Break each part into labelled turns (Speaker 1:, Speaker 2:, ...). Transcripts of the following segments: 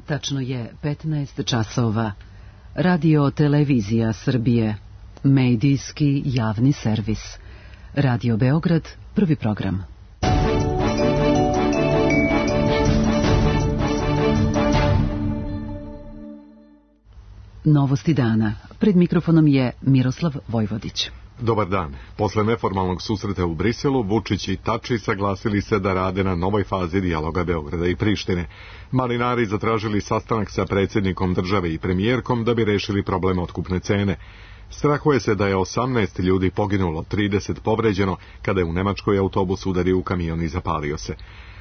Speaker 1: Tačno je 15 časova. Radio Televizija Srbije. Medijski javni servis. Radio Beograd, prvi program. Novosti dana. Pred mikrofonom je Miroslav Vojvodić.
Speaker 2: Dobar dan. Posle neformalnog susreta u Briselu, Vučić i Tači saglasili se da rade na novoj fazi dijaloga Beograda i Prištine. Malinari zatražili sastanak sa predsjednikom države i premijerkom da bi rešili problem otkupne cene. Strahuje se da je 18 ljudi poginulo, 30 povređeno, kada je u Nemačkoj autobus udario u kamion i zapalio se.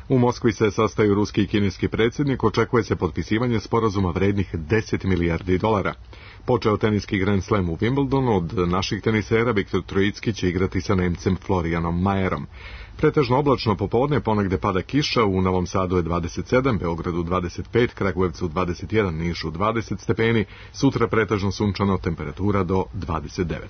Speaker 2: U Moskvi se sastaju ruski i kineski predsjednik, očekuje se potpisivanje sporazuma vrednih 10 milijardi dolara. Počeo teniski Grand Slam u Wimbledonu, od naših tenisera Viktor Trojicki će igrati sa Nemcem Florianom Majerom. Pretežno oblačno popodne, ponegde pada kiša, u Novom Sadu je 27, Beogradu 25, Kragujevcu 21, Nišu 20 stepeni, sutra pretežno sunčano, temperatura do 29.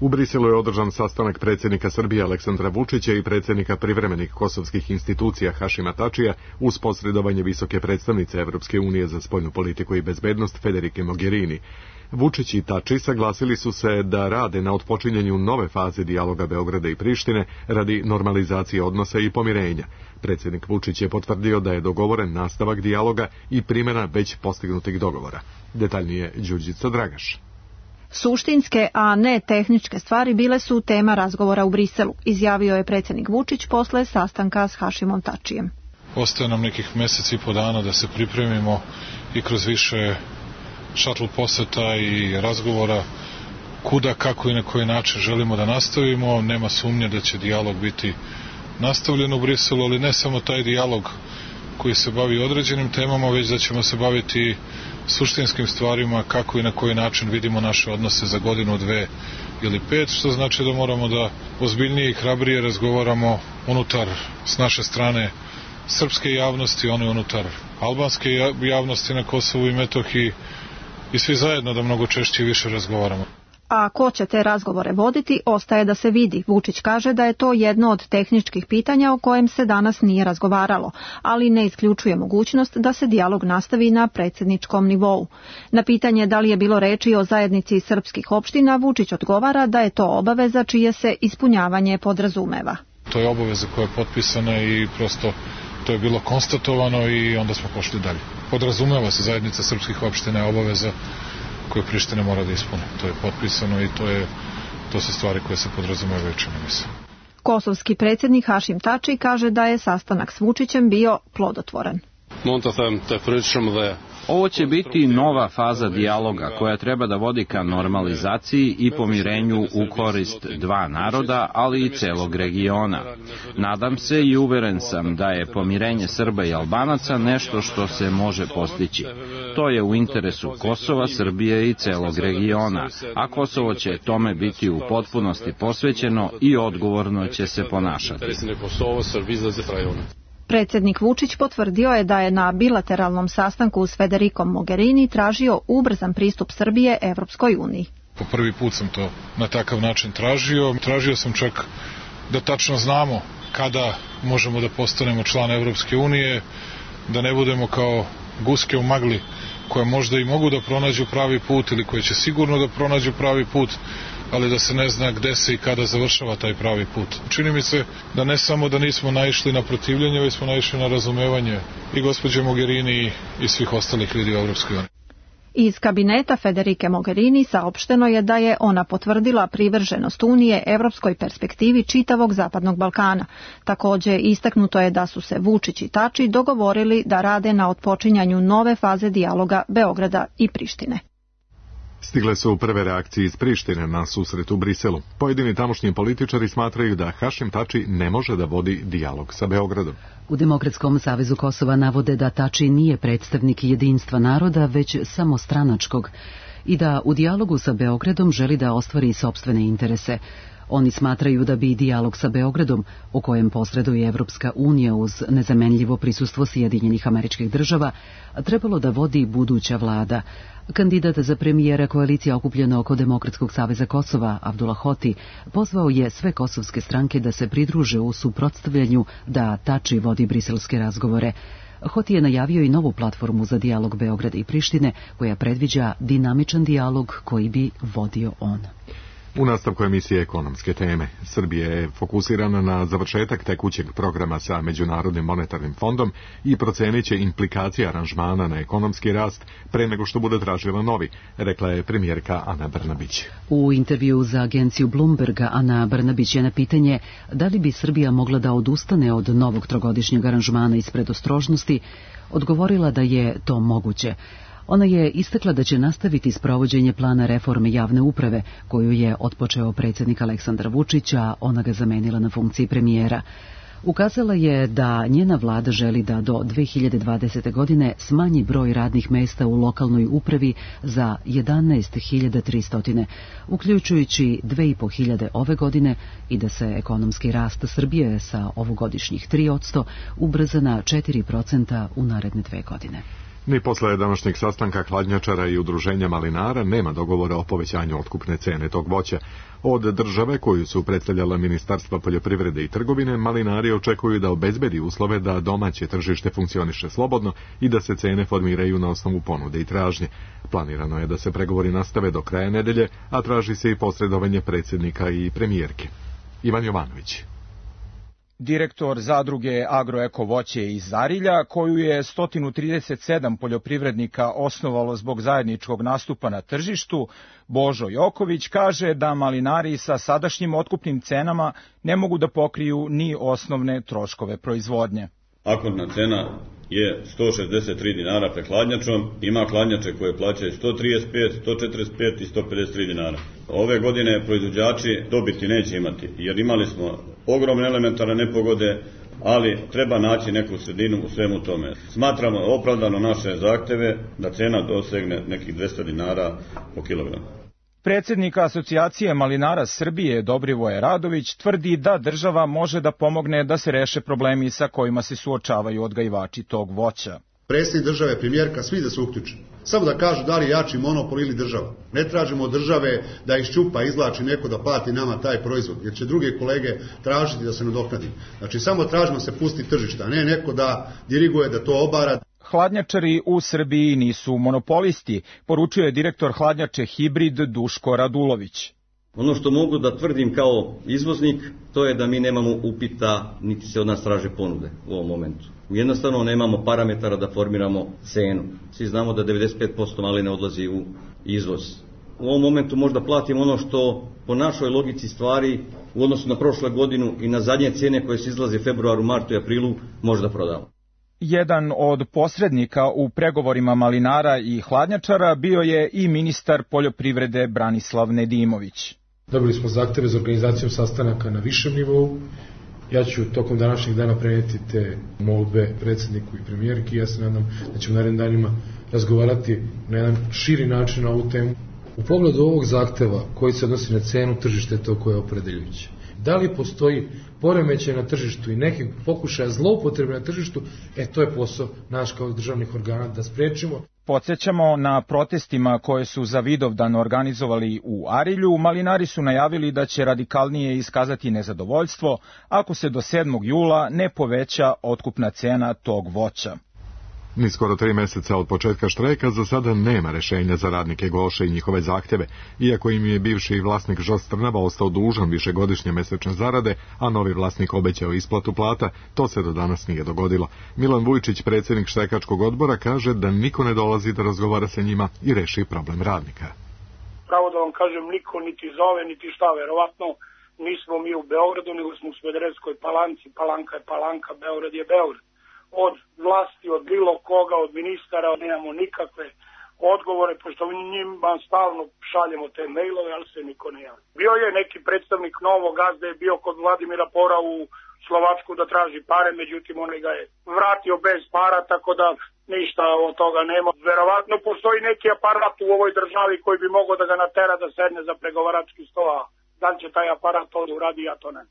Speaker 2: U Briselu je održan sastanak predsjednika Srbije Aleksandra Vučića i predsjednika privremenih kosovskih institucija Hašima Tačija uz posredovanje visoke predstavnice Evropske unije za spoljnu politiku i bezbednost Federike Mogherini. Vučić i Tači saglasili su se da rade na otpočinjanju nove faze dijaloga Beograda i Prištine radi normalizacije odnosa i pomirenja. Predsjednik Vučić je potvrdio da je dogovoren nastavak dijaloga i primjena već postignutih dogovora. Detaljnije Đurđica Dragaš.
Speaker 3: Suštinske, a ne tehničke stvari bile su tema razgovora u Briselu, izjavio je predsjednik Vučić posle sastanka s Hašimom Tačijem.
Speaker 4: Ostaje nam nekih mjeseci i po dana da se pripremimo i kroz više šatl poseta i razgovora kuda, kako i na koji način želimo da nastavimo. Nema sumnje da će dijalog biti nastavljen u Briselu, ali ne samo taj dijalog koji se bavi određenim temama, već da ćemo se baviti suštinskim stvarima, kako i na koji način vidimo naše odnose za godinu, 2 ili 5, što znači da moramo da ozbiljnije i hrabrije razgovaramo unutar s naše strane srpske javnosti, one unutar albanske javnosti na Kosovu i Metohiji i svi zajedno da mnogo češće i više razgovaramo.
Speaker 3: A ko će te razgovore voditi, ostaje da se vidi. Vučić kaže da je to jedno od tehničkih pitanja o kojem se danas nije razgovaralo, ali ne isključuje mogućnost da se dijalog nastavi na predsjedničkom nivou. Na pitanje da li je bilo reči o zajednici srpskih opština, Vučić odgovara da je to obaveza čije se ispunjavanje podrazumeva.
Speaker 4: To je obaveza koja je potpisana i prosto to je bilo konstatovano i onda smo pošli dalje. Podrazumeva se zajednica srpskih opština je obaveza koje Priština mora da ispune. To je potpisano i to su stvari koje se podrazumevaju, čini mi se.
Speaker 3: Kosovski predsjednik Hašim Tači kaže da je sastanak s Vučićem bio plodotvoran.
Speaker 5: Ovo će biti nova faza dijaloga koja treba da vodi ka normalizaciji i pomirenju u korist dva naroda, ali i celog regiona. Nadam se i uveren sam da je pomirenje Srba i Albanaca nešto što se može postići. To je u interesu Kosova, Srbije i celog regiona, a Kosovo će tome biti u potpunosti posvećeno i odgovorno će se ponašati.
Speaker 3: Predsjednik Vučić potvrdio je da je na bilateralnom sastanku s Federikom Mogherini tražio ubrzan pristup Srbije Evropskoj uniji.
Speaker 4: Po prvi put sam to na takav način tražio. Tražio sam čak da tačno znamo kada možemo da postanemo član Evropske unije, da ne budemo kao guske u magli koje možda i mogu da pronađu pravi put ili koje će sigurno da pronađu pravi put, ali da se ne zna gde se i kada završava taj pravi put. Čini mi se da ne samo da nismo naišli na protivljenje, već smo naišli na razumevanje i gospođe Mogherini i svih ostalih ljudi u Evropskoj uniji.
Speaker 3: Iz kabineta Federike Mogherini saopšteno je da je ona potvrdila privrženost Unije evropskoj perspektivi čitavog Zapadnog Balkana. Također istaknuto je da su se Vučić i Tači dogovorili da rade na otpočinjanju nove faze dijaloga Beograda i Prištine.
Speaker 2: Stigle su prve reakcije iz Prištine na susret u Briselu. Pojedini tamošnji političari smatraju da Hašim Tači ne može da vodi dijalog sa Beogradom.
Speaker 1: U Demokratskom savezu Kosova navode da Tači nije predstavnik jedinstva naroda, već samostranačkog i da u dijalogu sa Beogradom želi da ostvari sopstvene interese. Oni smatraju da bi dijalog sa Beogradom, u kojem posreduje Evropska unija uz nezamenljivo prisustvo Sjedinjenih Američkih Država, trebalo da vodi buduća vlada. Kandidat za premijera koalicija okupljena oko Demokratskog saveza Kosova, Abdullah Hoti, pozvao je sve kosovske stranke da se pridruže u suprotstavljanju da Tači vodi briselske razgovore. Hoti je najavio i novu platformu za dijalog Beograda i Prištine, koja predviđa dinamičan dijalog koji bi vodio on.
Speaker 2: U nastavku emisije ekonomske teme, Srbija je fokusirana na završetak tekućeg programa sa Međunarodnim monetarnim fondom i procenit će implikacije aranžmana na ekonomski rast pre nego što bude tražila novi, rekla je premijerka Ana Brnabić.
Speaker 1: U intervju za agenciju Bloomberga Ana Brnabić je na pitanje da li bi Srbija mogla da odustane od novog trogodišnjeg aranžmana iz predostrožnosti, odgovorila da je to moguće. Ona je istakla da će nastaviti sprovođenje plana reforme javne uprave, koju je otpočeo predsjednik Aleksandar Vučić, a ona ga zamenila na funkciji premijera. Ukazala je da njena vlada želi da do 2020. godine smanji broj radnih mesta u lokalnoj upravi za 11.300, uključujući 2.500 ove godine, i da se ekonomski rast Srbije sa ovogodišnjih 3% ubrza na 4% u naredne 2 godine.
Speaker 2: Ni posle današnjeg sastanka hladnjačara i udruženja malinara nema dogovora o povećanju otkupne cene tog voća. Od države koju su predstavljala Ministarstva poljoprivrede i trgovine, malinari očekuju da obezbedi uslove da domaće tržište funkcioniše slobodno i da se cene formiraju na osnovu ponude i tražnje. Planirano je da se pregovori nastave do kraja nedelje, a traži se i posredovanje predsjednika i premijerke. Ivan Jovanović.
Speaker 6: Direktor zadruge Agroeko voće iz Zarilja, koju je 137 poljoprivrednika osnovalo zbog zajedničkog nastupa na tržištu, Božo Joković, kaže da malinari sa sadašnjim otkupnim cenama ne mogu da pokriju ni osnovne troškove proizvodnje.
Speaker 7: Akordna cena je 163 dinara pred hladnjačom, ima hladnjače koje plaćaju 135, 145 i 153 dinara. Ove godine proizvođači dobiti neće imati, jer imali smo ogromne elementarne nepogode, ali treba naći neku sredinu u svemu tome. Smatramo opravdano naše zahteve da cena dosegne nekih 200 dinara po kilogramu.
Speaker 6: Predsjednik Asocijacije malinara Srbije Dobrivoje Radović tvrdi da država može da pomogne da se reše problemi sa kojima se suočavaju odgajivači tog voća.
Speaker 8: Predsjednik države, premijerka, svi da se uključe. Samo da kažu da li je jači monopol ili država. Ne tražimo od države da iščupa, izvlači neko da plati nama taj proizvod, jer će druge kolege tražiti da se nadoknadi. Znači samo tražimo se pusti tržišta, a ne neko da diriguje, da to obara.
Speaker 6: Hladnjačari u Srbiji nisu monopolisti, poručuje direktor hladnjače Hibrid Duško Radulović.
Speaker 9: Ono što mogu da tvrdim kao izvoznik, to je da mi nemamo upita, niti se od nas traže ponude u ovom momentu. Jednostavno nemamo parametara da formiramo cenu. Svi znamo da 95% maline odlazi u izvoz. U ovom momentu možda platimo ono što po našoj logici stvari u odnosu na prošlu godinu i na zadnje cene koje se izlaze u februaru, martu i aprilu možda prodamo.
Speaker 6: Jedan od posrednika u pregovorima malinara i hladnjačara bio je i ministar poljoprivrede Branislav Nedimović.
Speaker 10: Dobili smo zahteve za organizacijom sastanaka na višem nivou. Ja ću tokom današnjeg dana prenijeti te molbe predsjedniku i premijerki. Ja se nadam da ćemo narednim danima razgovarati na jedan širi način na ovu temu. U pogledu ovog zahteva koji se odnosi na cenu, tržište je to koje je opredeljujuće. Da li postoji poremećaj na tržištu i nekih pokušaja zloupotrebe na tržištu, to je posao naš kao državnih organa da sprečimo.
Speaker 6: Podsjećamo, na protestima koje su za Vidovdan organizovali u Arilju, malinari su najavili da će radikalnije iskazati nezadovoljstvo ako se do 7. jula ne poveća otkupna cena tog voća.
Speaker 2: Ni skoro 3 meseca od početka štrajka za sada nema rešenja za radnike Goše i njihove zahteve, iako im je bivši vlasnik Žost Trnava ostao dužan višegodišnje mesečne zarade, a novi vlasnik obećao isplatu plata, to se do danas nije dogodilo. Milan Vujčić, predsjednik štrajkačkog odbora, kaže da niko ne dolazi da razgovara sa njima i reši problem radnika.
Speaker 11: Pravo da vam kažem, niko niti zove, niti šta, verovatno nismo mi u Beogradu, nego smo u Smederevskoj Palanci, Palanka je Palanka, Beograd je Beograd. Od vlasti, od bilo koga, od ministara, nemamo nikakve odgovore, pošto njima stalno šaljemo te mailove, ali se niko ne javi. Bio je neki predstavnik Novog Gazde, je bio kod Vladimira Pora u Slovačku da traži pare, međutim on ga je vratio bez para, tako da ništa od toga nema. Verovatno postoji neki aparat u ovoj državi koji bi mogao da ga natera da sedne za pregovarački sto, a Da li će taj aparat to da uradi, ja to ne.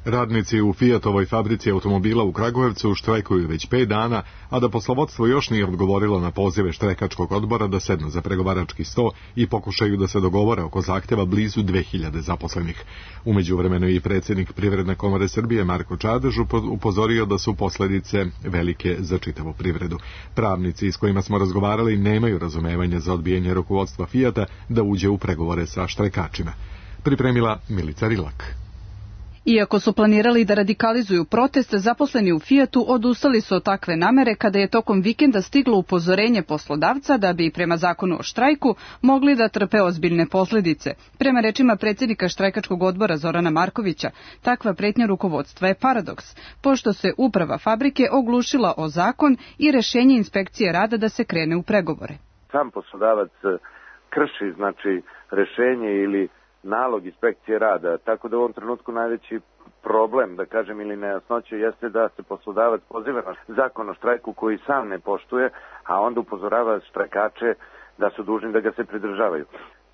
Speaker 2: Radnici u Fiatovoj fabrici automobila u Kragujevcu štrajkuju već 5 dana, a da poslovodstvo još nije odgovorilo na pozive štrajkačkog odbora da sednu za pregovarački sto i pokušaju da se dogovore oko zahteva blizu 2000 zaposlenih. U međuvremenu i predsjednik Privredne komore Srbije Marko Čadež upozorio da su posljedice velike za čitavu privredu. Pravnici s kojima smo razgovarali nemaju razumevanja za odbijanje rukovodstva Fiata da uđe u pregovore sa štrajkačima. Pripremila Milica Rilak.
Speaker 12: Iako su planirali da radikalizuju protest, zaposleni u Fiatu odustali su od takve namere kada je tokom vikenda stiglo upozorenje poslodavca da bi prema zakonu o štrajku mogli da trpe ozbiljne posljedice. Prema rečima predsjednika štrajkačkog odbora Zorana Markovića, takva pretnja rukovodstva je paradoks, pošto se uprava fabrike oglušila o zakon i rješenje inspekcije rada da se krene u pregovore.
Speaker 13: Sam poslodavac krši rješenje ili nalog inspekcije rada, tako da u ovom trenutku najveći problem, da kažem, ili nejasnoće jeste da se poslodavac poziva na zakon o štrajku koji sam ne poštuje, a onda upozorava štrajkače da su dužni da ga se pridržavaju.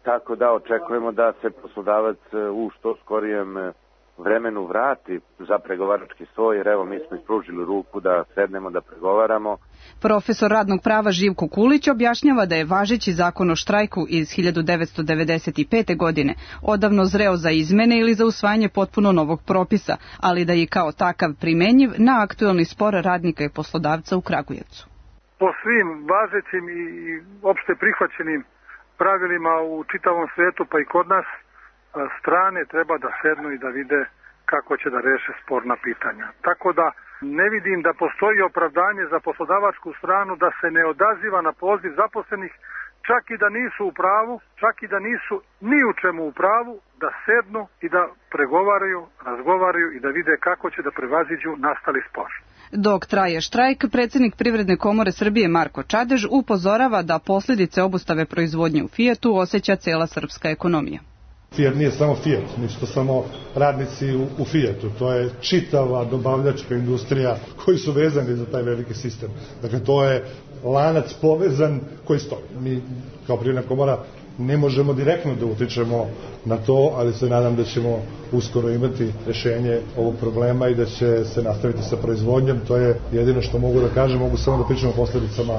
Speaker 13: Tako da očekujemo da se poslodavac u što skorijem vremenu vrati za pregovarački sto, jer evo mi smo ispružili ruku da sednemo da pregovaramo.
Speaker 12: Profesor radnog prava Živko Kulić objašnjava da je važeći zakon o štrajku iz 1995. godine odavno zreo za izmene ili za usvajanje potpuno novog propisa, ali da je kao takav primenjiv na aktuelni spor radnika i poslodavca u Kragujevcu.
Speaker 11: Po svim važećim i opšte prihvaćenim pravilima u čitavom svetu, pa i kod nas, strane treba da sednu i da vide kako će da reše sporna pitanja. Tako da ne vidim da postoji opravdanje za poslodavačku stranu da se ne odaziva na poziv zaposlenih, čak i da nisu u pravu, čak i da nisu ni u čemu u pravu, da sednu i da pregovaraju, razgovaraju i da vide kako će da prevaziđu nastali spor.
Speaker 12: Dok traje štrajk, predsjednik Privredne komore Srbije Marko Čadež upozorava da posljedice obustave proizvodnje u Fiatu osjeća cela srpska ekonomija.
Speaker 14: Fiat nije samo Fiat, nisu to samo radnici u Fiatu, to je čitava dobavljačka industrija koji su vezani za taj veliki sistem. Dakle, to je lanac povezan koji stoji. Mi kao Privredna komora ne možemo direktno da utičemo na to, ali se nadam da ćemo uskoro imati rješenje ovog problema i da će se nastaviti sa proizvodnjom. To je jedino što mogu da kažem, mogu samo da pričam o posljedicama,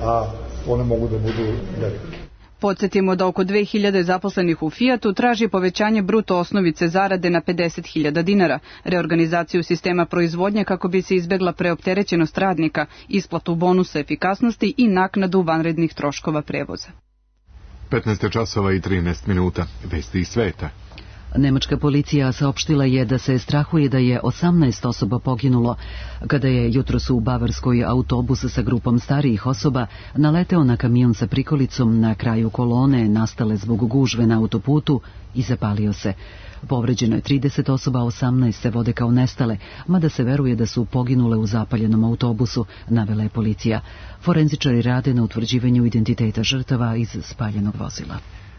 Speaker 14: a one mogu da budu velike.
Speaker 12: Podsjetimo da oko 2000 zaposlenih u Fiatu traži povećanje bruto osnovice zarade na 50.000 dinara, reorganizaciju sistema proizvodnje kako bi se izbjegla preopterećenost radnika, isplatu bonusa efikasnosti i naknadu vanrednih troškova prevoza.
Speaker 2: 15 časova i 13 minuta. Vesti iz sveta.
Speaker 1: Nemačka policija saopštila je da se strahuje da je 18 osoba poginulo kada je jutros u Bavarskoj autobus sa grupom starijih osoba naleteo na kamion sa prikolicom na kraju kolone nastale zbog gužve na autoputu i zapalio se. Povređeno je 30 osoba, 18 se vode kao nestale, mada se veruje da su poginule u zapaljenom autobusu, navela je policija. Forenzičari rade na utvrđivanju identiteta žrtava iz spaljenog vozila.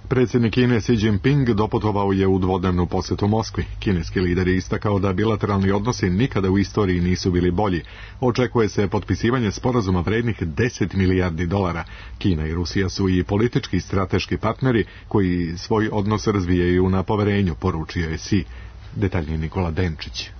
Speaker 2: Predsjednik Kine Xi Jinping doputovao je u dvodnevnu posjetu Moskvi. Kineski lider je istakao da bilateralni odnosi nikada u istoriji nisu bili bolji. Očekuje se potpisivanje sporazuma vrednih 10 milijardi dolara. Kina i Rusija su i politički i strateški partneri koji svoj odnos razvijaju na poverenju, poručio je Xi. Detaljnije Nikola Denčić.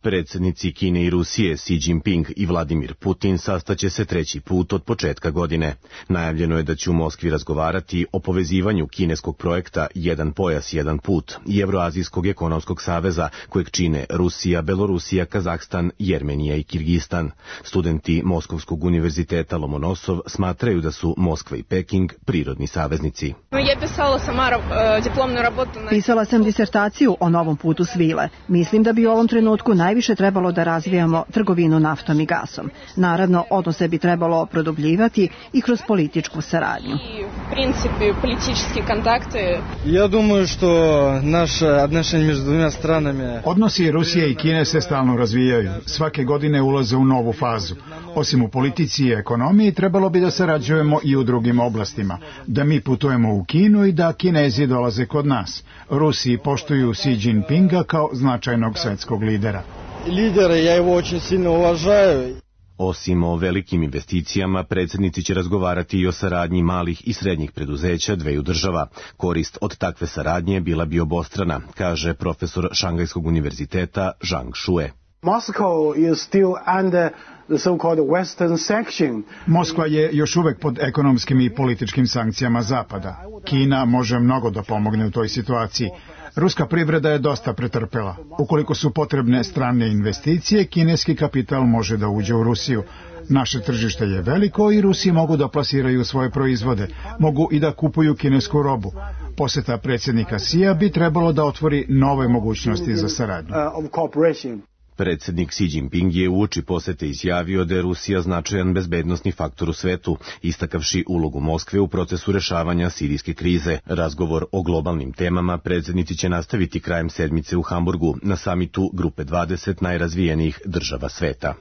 Speaker 15: Predsjednici Kine i Rusije Xi Jinping i Vladimir Putin sastaće se treći put od početka godine. Najavljeno je da će u Moskvi razgovarati o povezivanju kineskog projekta Jedan pojas, jedan put i Evroazijskog ekonomskog saveza kojeg čine Rusija, Belorusija, Kazahstan, Jermenija i Kirgistan. Studenti Moskovskog univerziteta Lomonosov smatraju da su Moskva i Peking prirodni saveznici.
Speaker 3: Pisala sam disertaciju o novom putu svile. Mislim da bi u ovom trenutku najviše trebalo da razvijamo trgovinu naftom i gasom. Naravno, odnose bi trebalo produbljivati i kroz političku saradnju.
Speaker 16: Odnosi Rusije i Kine se stalno razvijaju. Svake godine ulaze u novu fazu. Osim u politici i ekonomiji, trebalo bi da sarađujemo i u drugim oblastima. Da mi putujemo u Kinu i da Kinezi dolaze kod nas. Rusiji poštuju Xi Jinpinga kao značajnog svetskog lidera.
Speaker 15: Osim o velikim investicijama, predsjednici će razgovarati i o saradnji malih i srednjih preduzeća dveju država. Korist od takve saradnje bila bi obostrana, kaže profesor Šangajskog univerziteta Zhang Shue.
Speaker 16: Moskva je još uvek pod ekonomskim i političkim sankcijama Zapada. Kina može mnogo da pomogne u toj situaciji. Ruska privreda je dosta pretrpela. Ukoliko su potrebne strane investicije, kineski kapital može da uđe u Rusiju. Naše tržište je veliko i Rusi mogu da plasiraju svoje proizvode. Mogu i da kupuju kinesku robu. Poseta predsjednika Xija bi trebalo da otvori nove mogućnosti za saradnju.
Speaker 15: Predsjednik Xi Jinping je uoči posete izjavio da je Rusija značajan bezbednosni faktor u svetu, istakavši ulogu Moskve u procesu rešavanja sirijske krize. Razgovor o globalnim temama predsjednici će nastaviti krajem sedmice u Hamburgu na samitu Grupe 20 najrazvijenijih država sveta.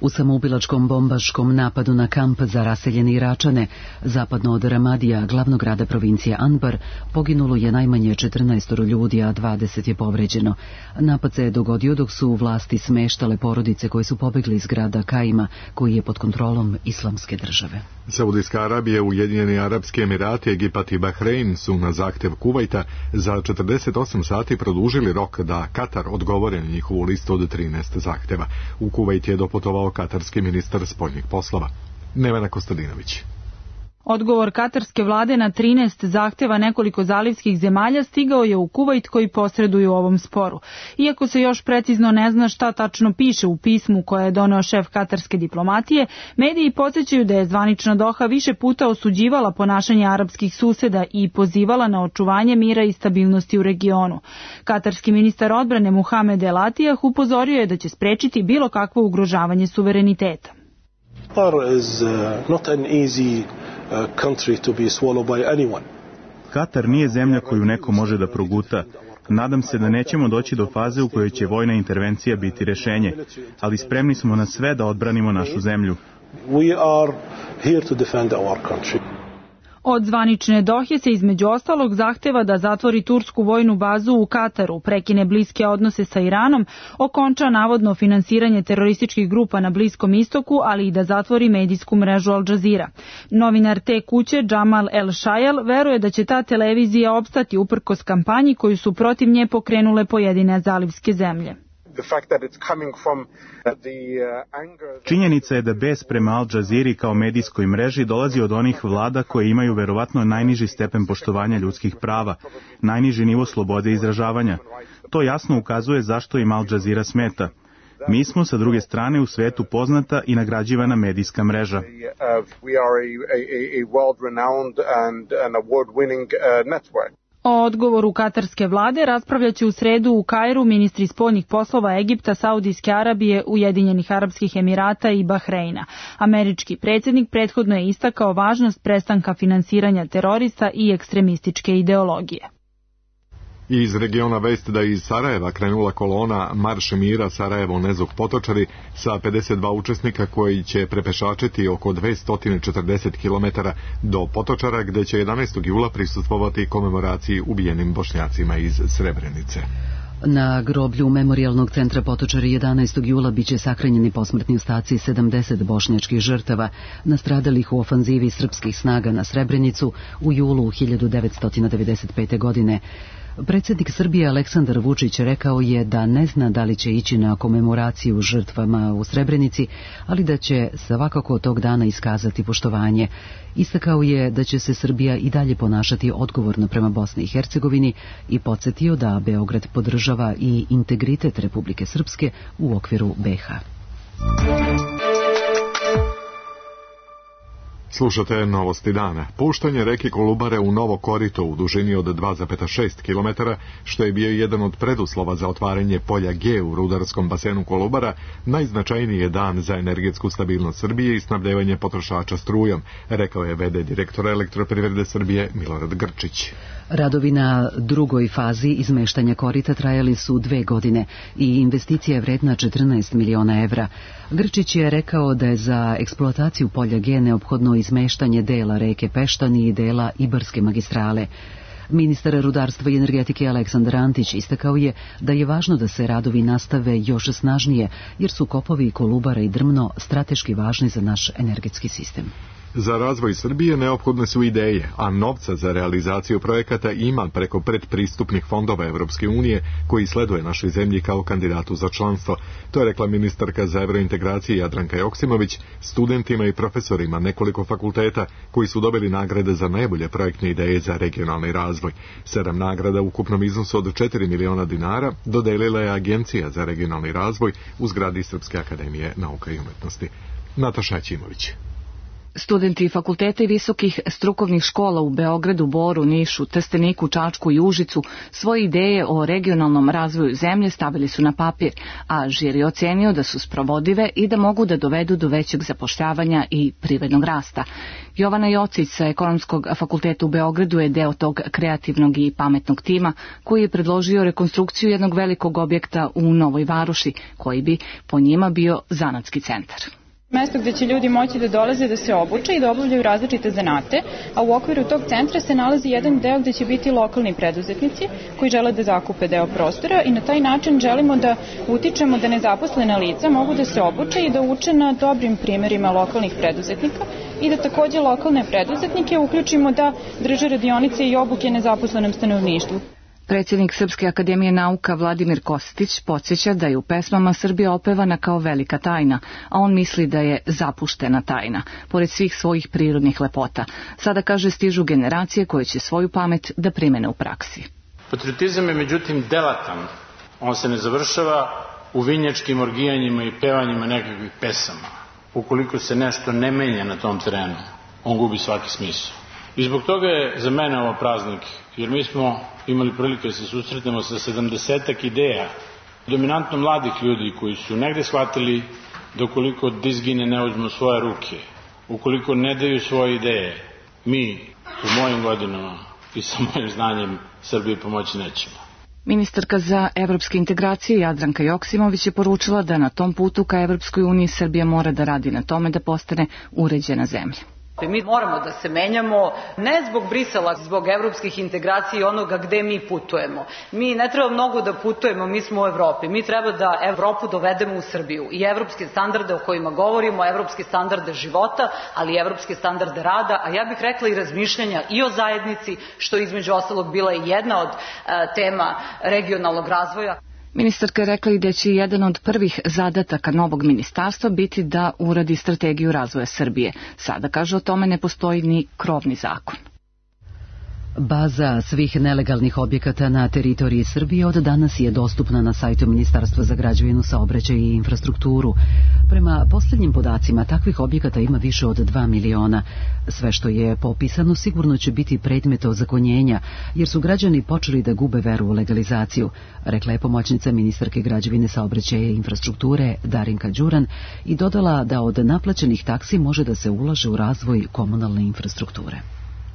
Speaker 1: U samoubilačkom bombaškom napadu na kamp za raseljene Iračane, zapadno od Ramadija, glavnog grada provincije Anbar, poginulo je najmanje 14 ljudi, a 20 je povređeno. Napad se je dogodio dok su vlasti smeštale porodice koje su pobegli iz grada Kaima, koji je pod kontrolom Islamske države.
Speaker 2: Saudijska Arabija, Ujedinjeni Arapski Emirati, Egipat i Bahrein su na zahtev Kuvajta za 48 sati produžili rok da Katar odgovori na njihovu listu od 13 zahteva. U Kuvajt je doputovao katarski ministar spoljnih poslova. Nevena Kostadinović.
Speaker 17: Odgovor katarske vlade na 13 zahteva nekoliko zalivskih zemalja stigao je u Kuvajt koji posreduju u ovom sporu. Iako se još precizno ne zna šta tačno piše u pismu koje je doneo šef katarske diplomatije, mediji podsjećaju da je zvanična Doha više puta osuđivala ponašanje arapskih suseda i pozivala na očuvanje mira i stabilnosti u regionu. Katarski ministar odbrane Muhamed El Atiyah upozorio je da će sprečiti bilo kakvo ugrožavanje suvereniteta.
Speaker 18: Katar nije zemlja koju neko može da proguta. Nadam se da nećemo doći do faze u kojoj će vojna intervencija biti rešenje, ali spremni smo na sve da odbranimo našu zemlju.
Speaker 17: Od zvanične Dohe se između ostalog zahteva da zatvori tursku vojnu bazu u Kataru, prekine bliske odnose sa Iranom, okonča navodno finansiranje terorističkih grupa na Bliskom istoku, ali i da zatvori medijsku mrežu Al Jazeera. Novinar te kuće Jamal El Shayal veruje da će ta televizija opstati uprkos kampanji koju su protiv nje pokrenule pojedine zalivske zemlje.
Speaker 18: Činjenica je da bes prema Al Jazeera kao medijskoj mreži dolazi od onih vlada koje imaju verovatno najniži stepen poštovanja ljudskih prava, najniži nivo slobode izražavanja. To jasno ukazuje zašto im Al Jazeera smeta. Mi smo sa druge strane u svetu poznata i nagrađivana medijska mreža.
Speaker 17: O odgovoru katarske vlade raspravljaće u sredu u Kairu ministri spoljnih poslova Egipta, Saudijske Arabije, Ujedinjenih Arapskih Emirata i Bahreina. Američki predsjednik prethodno je istakao važnost prestanka finansiranja terorista i ekstremističke ideologije.
Speaker 2: Iz regiona vest da iz Sarajeva krenula kolona Marš mira Sarajevo-Nezog Potočari sa 52 učesnika koji će prepešačiti oko 240 km do Potočara, gde će 11. jula prisustvovati komemoraciji ubijenim Bošnjacima iz Srebrenice.
Speaker 1: Na groblju Memorijalnog centra Potočari 11. jula biće sahranjeni posmrtni ostaci 70 bošnjačkih žrtava nastradalih u ofanzivi srpskih snaga na Srebrenicu u julu 1995. godine. Predsjednik Srbije Aleksandar Vučić rekao je da ne zna da li će ići na komemoraciju žrtvama u Srebrenici, ali da će svakako tog dana iskazati poštovanje. Istakao je da će se Srbija i dalje ponašati odgovorno prema Bosni i Hercegovini i podsjetio da Beograd podržava i integritet Republike Srpske u okviru BiH.
Speaker 2: Slušate novosti dana. Puštanje reke Kolubare u novo korito u dužini od 2,6 km, što je bio jedan od preduslova za otvaranje polja G u rudarskom basenu Kolubara, najznačajniji je dan za energetsku stabilnost Srbije i snabdevanje potrošača strujom, rekao je v.d. direktor Elektroprivrede Srbije Milorad Grčić.
Speaker 1: Radovi na drugoj fazi izmeštanja korita trajali su 2 godine i investicija je vredna 14 miliona evra. Grčić je rekao da je za eksploataciju polja G neophodno izmeštanje dela reke Peštani i dela Ibarske magistrale. Ministar rudarstva i energetike Aleksandar Antić istakao je da je važno da se radovi nastave još snažnije, jer su kopovi Kolubara i Drmno strateški važni za naš energetski sistem.
Speaker 2: Za razvoj Srbije neophodne su ideje, a novca za realizaciju projekata ima preko predpristupnih fondova Evropske unije koji sleduje našoj zemlji kao kandidatu za članstvo. To je rekla ministarka za evrointegracije Jadranka Joksimović studentima i profesorima nekoliko fakulteta koji su dobili nagrade za najbolje projektne ideje za regionalni razvoj. 7 nagrada u ukupnom iznosu od 4 miliona dinara dodelila je Agencija za regionalni razvoj u zgradi Srpske akademije nauka i umetnosti. Nataša Ćimović.
Speaker 19: Studenti fakulteta i visokih strukovnih škola u Beogradu, Boru, Nišu, Trsteniku, Čačku i Užicu svoje ideje o regionalnom razvoju zemlje stavili su na papir, a žiri ocenio da su sprovodive i da mogu da dovedu do većeg zapošljavanja i privrednog rasta. Jovana Jocić sa Ekonomskog fakulteta u Beogradu je deo tog kreativnog i pametnog tima koji je predložio rekonstrukciju jednog velikog objekta u Novoj Varoši, koji bi po njima bio zanatski centar.
Speaker 20: Mesto gde će ljudi moći da dolaze da se obuče i da obavljaju različite zanate, a u okviru tog centra se nalazi jedan deo gde će biti lokalni preduzetnici koji žele da zakupe deo prostora i na taj način želimo da utičemo da nezaposlena lica mogu da se obuče i da uče na dobrim primerima lokalnih preduzetnika i da takođe lokalne preduzetnike uključimo da drže radionice i obuke nezaposlenom stanovništvu.
Speaker 19: Predsjednik Srpske akademije nauka Vladimir Kostić podsjeća da je u pesmama Srbija opevana kao velika tajna, a on misli da je zapuštena tajna, pored svih svojih prirodnih lepota. Sada, kaže, stižu generacije koje će svoju pamet da primene u praksi.
Speaker 21: Patriotizam je međutim delatan. On se ne završava u vinjačkim orgijanjima i pevanjima nekakvih pesama. Ukoliko se nešto ne menja na tom terenu, on gubi svaki smisao. I zbog toga je za mene ovo praznik, jer mi smo imali prilike da se susretnemo sa 70-ak ideja, dominantno mladih ljudi koji su negde shvatili da ukoliko dizgine ne uzmu svoje ruke, ukoliko ne daju svoje ideje, mi u mojim godinama i sa mojim znanjem Srbiji pomoći nećemo.
Speaker 19: Ministarka za evropske integracije Jadranka Joksimović je poručila da na tom putu ka Evropskoj uniji Srbija mora da radi na tome da postane uređena zemlja.
Speaker 22: Mi moramo da se menjamo, ne zbog Brisela, zbog evropskih integracija i onoga gde mi putujemo. Mi ne treba mnogo da putujemo, mi smo u Evropi. Mi treba da Evropu dovedemo u Srbiju i evropske standarde o kojima govorimo, evropske standarde života, ali i evropske standarde rada, a ja bih rekla i razmišljanja i o zajednici, što između ostalog bila i jedna od tema regionalnog razvoja.
Speaker 19: Ministarka je rekla i da će jedan od prvih zadataka novog ministarstva biti da uradi strategiju razvoja Srbije. Sada, kaže, o tome ne postoji ni krovni zakon.
Speaker 1: Baza svih nelegalnih objekata na teritoriji Srbije od danas je dostupna na sajtu Ministarstva za građevinu, saobraćaj i infrastrukturu. Prema posljednjim podacima, takvih objekata ima više od 2 miliona. Sve što je popisano sigurno će biti predmet ozakonjenja, jer su građani počeli da gube veru u legalizaciju, rekla je pomoćnica ministarke građevine, saobraćaja i infrastrukture Darinka Đuran i dodala da od naplaćenih taksi može da se ulaže u razvoj komunalne infrastrukture.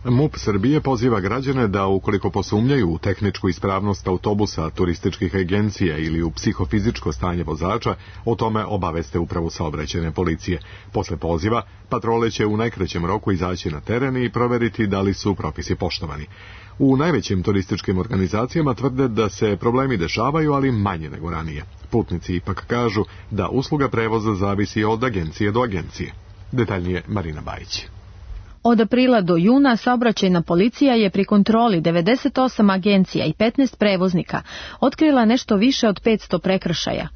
Speaker 2: MUP Srbije poziva građane da ukoliko posumnjaju u tehničku ispravnost autobusa, turističkih agencija ili u psihofizičko stanje vozača, o tome obaveste upravu saobraćajne policije. Posle poziva, patrole će u najkraćem roku izaći na teren i proveriti da li su propisi poštovani. U najvećim turističkim organizacijama tvrde da se problemi dešavaju, ali manje nego ranije. Putnici ipak kažu da usluga prevoza zavisi od agencije do agencije. Detaljnije Marina Bajić.
Speaker 3: Od aprila do juna saobraćajna policija je pri kontroli 98 agencija i 15 prevoznika otkrila nešto više od 500 prekršaja.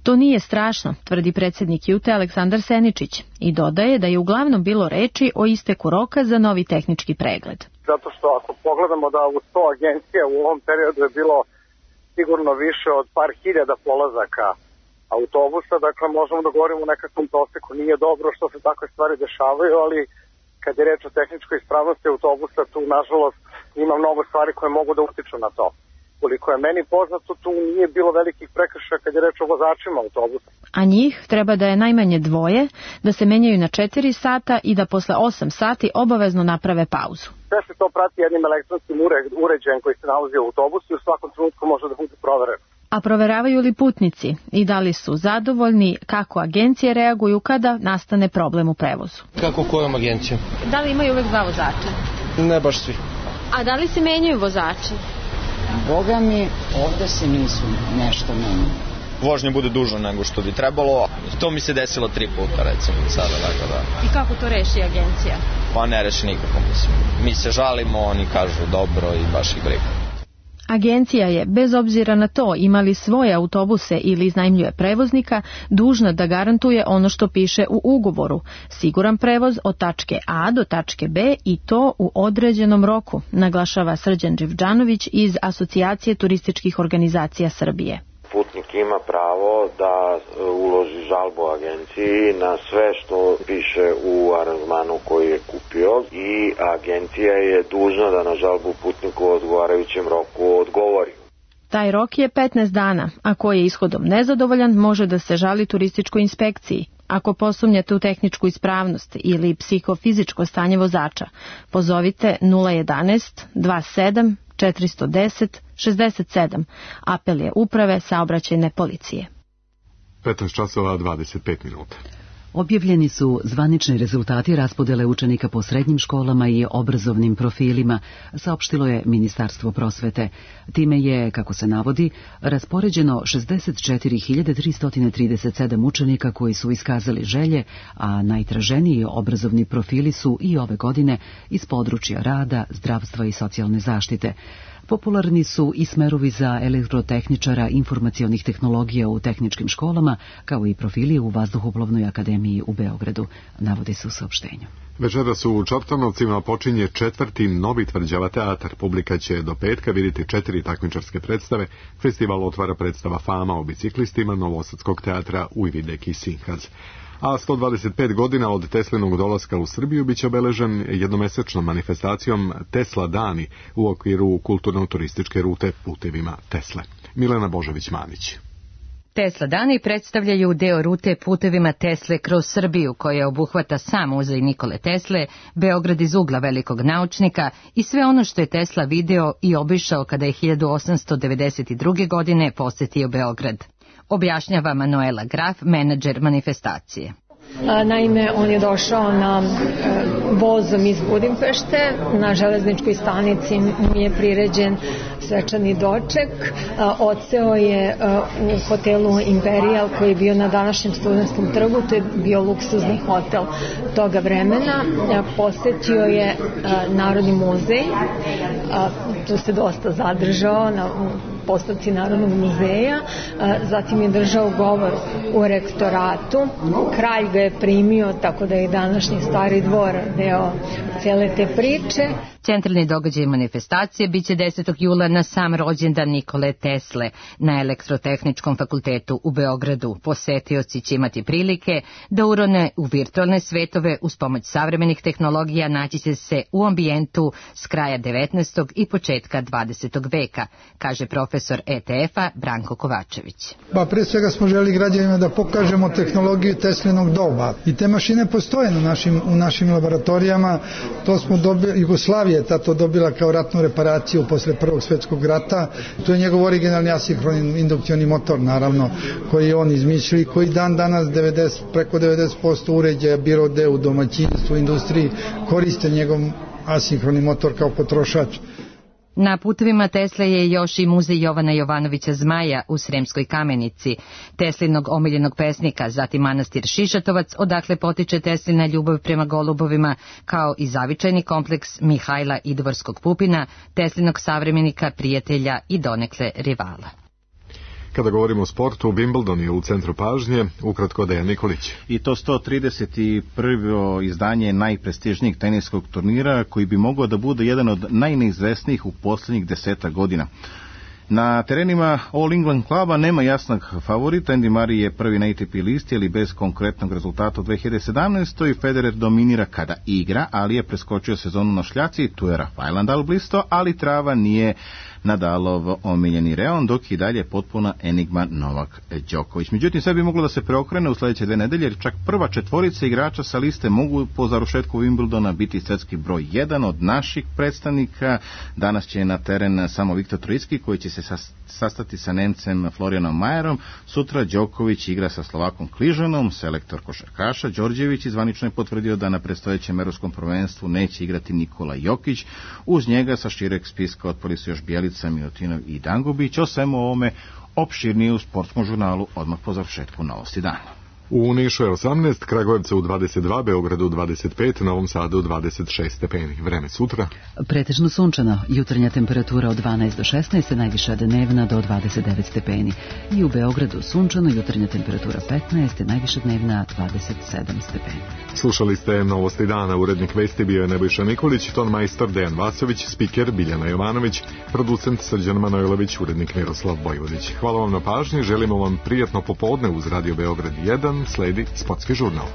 Speaker 3: To nije strašno, tvrdi predsjednik JUTE Aleksandar Seničić i dodaje da je uglavnom bilo reči o isteku roka za novi tehnički pregled.
Speaker 23: Zato što ako pogledamo da u 100 agencija u ovom periodu je bilo sigurno više od par hiljada polazaka autobusa, dakle možemo da govorimo o nekakvom proseku. Nije dobro što se takve stvari dešavaju, ali kad je reč o tehničkoj ispravnosti autobusa, tu nažalost ima mnogo stvari koje mogu da utiču na to. Koliko je meni poznato, tu nije bilo velikih prekršaja kad je reč o vozačima autobusa. A njih treba da je najmanje 2, da se menjaju na 4 sata i da posle 8 sati obavezno naprave pauzu. Sve se to prati jednim elektronskim uređajem koji se nalazi u autobusu i u svakom trenutku može da bude proveren. A proveravaju li putnici i da li su zadovoljni kako agencije reaguju kada nastane problem u prevozu?
Speaker 24: Kako kojom agencijom?
Speaker 3: Da li imaju uvek 2 vozača?
Speaker 24: Ne baš svi.
Speaker 4: A da li se menjaju vozači?
Speaker 5: Boga mi, ovde se nisu nešto menjali.
Speaker 7: Vožnja bude duža nego što bi trebalo. To mi se desilo 3 puta recimo sada. Da.
Speaker 4: I kako to reši agencija?
Speaker 7: Pa ne reši nikako, mislim. Mi se žalimo, oni kažu dobro i baš ih briga.
Speaker 3: Agencija je, bez obzira na to imali svoje autobuse ili iznajmljuje prevoznika, dužna da garantuje ono što piše u ugovoru, siguran prevoz od tačke A do tačke B i to u određenom roku, naglašava Srđan Đevđanović iz Asocijacije turističkih organizacija Srbije.
Speaker 13: Putnik ima pravo da uloži žalbu agenciji na sve što piše u aranžmanu koji je kupio i agencija je dužna da na žalbu putniku u odgovarajućem roku odgovori.
Speaker 3: Taj rok je 15 dana, a ko je ishodom nezadovoljan može da se žali turističkoj inspekciji. Ako posumnjate u tehničku ispravnost ili psihofizičko stanje vozača, pozovite 011 27 410 67. Apel je uprave saobraćajne policije.
Speaker 2: 15 časova 25 minuta.
Speaker 1: Objavljeni su zvanični rezultati raspodele učenika po srednjim školama i obrazovnim profilima, saopštilo je Ministarstvo prosvete. Time je, kako se navodi, raspoređeno 64.337 učenika koji su iskazali želje, a najtraženiji obrazovni profili su i ove godine iz područja rada, zdravstva i socijalne zaštite. Popularni su i smerovi za elektrotehničara informacionih tehnologija u tehničkim školama, kao i profili u Vazduhoplovnoj akademiji u Beogradu, navodi se u saopštenju.
Speaker 2: Večeras u Čortanovcima počinje 4. Novi tvrđava teatar. Publika će do petka vidjeti 4 takmičarske predstave. Festival otvara predstava Fama o biciklistima Novosadskog teatra Ujvidek i Sinhaz. A 125 godina od Teslinog dolaska u Srbiju biće obeležen jednomesečnom manifestacijom Tesla dani u okviru kulturno-turističke rute Putevima Tesle. Milena Božović-Manić.
Speaker 24: Tesla dani predstavljaju deo rute Putevima Tesle kroz Srbiju, koja obuhvata sam muzej Nikole Tesle, Beograd iz ugla velikog naučnika i sve ono što je Tesla video i obišao kada je 1892. godine posetio Beograd. Objašnjava Manuela Graf, menadžer manifestacije.
Speaker 25: Naime, on je došao na vozom iz Budimpešte, na železničkoj stanici mu je priređen svečani doček, odseo je u hotelu Imperial koji je bio na današnjem Studentskom trgu, to je bio luksuzni hotel toga vremena, posetio je Narodni muzej, tu se dosta zadržao na postavci Narodnog muzeja, zatim je držao govor u rektoratu, kralj ga je primio, tako da je današnji Stari dvor deo cele te priče.
Speaker 24: Centralni događaj manifestacije biće 10. jula na sam rođendan Nikole Tesle na Elektrotehničkom fakultetu u Beogradu. Posetioci će imati prilike da urone u virtualne svetove uz pomoć savremenih tehnologija, naći će se u ambijentu s kraja 19. i početka 20. veka, kaže profesor ETF-a Branko Kovačević.
Speaker 26: Pre svega smo želi građanima da pokažemo tehnologiju Teslinog doba i te mašine postoje u našim laboratorijama, to smo dobili, Jugoslavija je to dobila kao ratnu reparaciju posle Prvog svjetskog rata. To je njegov originalni asinhroni indukcioni motor, naravno, koji je on izmišljio i koji dan danas preko 90% uređaja, bilo gde u domaćinstvu, industriji, koriste njegov asinhroni motor kao potrošač.
Speaker 24: Na Putevima Tesle je još i muzej Jovana Jovanovića Zmaja u Sremskoj Kamenici, Teslinog omiljenog pesnika, zatim manastir Šišatovac, odakle potiče Teslina ljubav prema golubovima, kao i zavičajni kompleks Mihajla Idvorskog Pupina, Teslinog savremenika, prijatelja i donekle rivala.
Speaker 2: Kada govorimo o sportu, Wimbledon je u centru pažnje, ukratko Dejan Nikolić.
Speaker 18: I to 131. izdanje najprestižnijeg teniskog turnira, koji bi mogao da bude jedan od najneizvesnijih u posljednjih 10 godina. Na terenima All England kluba nema jasnog favorita. Andy Murray je prvi na ATP listi, ali bez konkretnog rezultata u 2017. Federer dominira kada igra, ali je preskočio sezonu na šljaci. Tu je Rafael Nadal blisto, ali trava nije Nadalov omiljeni reon, dok i dalje potpuna enigma Novak Đoković. Međutim, sve bi moglo da se preokrene u sljedeće 2 nedelje, jer čak prva 4 igrača sa liste mogu po završetku Wimbledona biti svjetski broj 1 od naših predstavnika. Danas će na teren samo Viktor Trojicki, koji će se
Speaker 6: se sastati sa Nemcem Florianom Majerom. Sutra Đoković igra sa Slovakom Kližanom. Selektor košarkaša Đorđević zvanično je potvrdio da na predstojećem evropskom prvenstvu neće igrati Nikola Jokić. Uz njega sa šireg spiska otpali su još Bjelica, Milutinov i Dangubić. O svemu ovome opširnije u sportskom žurnalu odmah po završetku Novosti dana.
Speaker 2: U Nišu je 18, Kragujevcu 22, Beogradu 25, Novom Sadu 26 stepeni. Vreme sutra.
Speaker 1: Pretežno sunčano, jutarnja temperatura od 12 do 16, najviša dnevna do 29 stepeni. I u Beogradu sunčano, jutarnja temperatura 15, najviša dnevna 27 stepeni.
Speaker 2: Slušali ste Novosti dana, urednik vesti bio je Nebojša Nikolić, ton majstor Dejan Vasović, spiker Biljana Jovanović, producent Srđan Manojlović, urednik Miroslav Bojvodić. Hvala vam na pažnji, želimo vam prijatno popodne uz Radio Beograd 1, sledi sportski žurnal.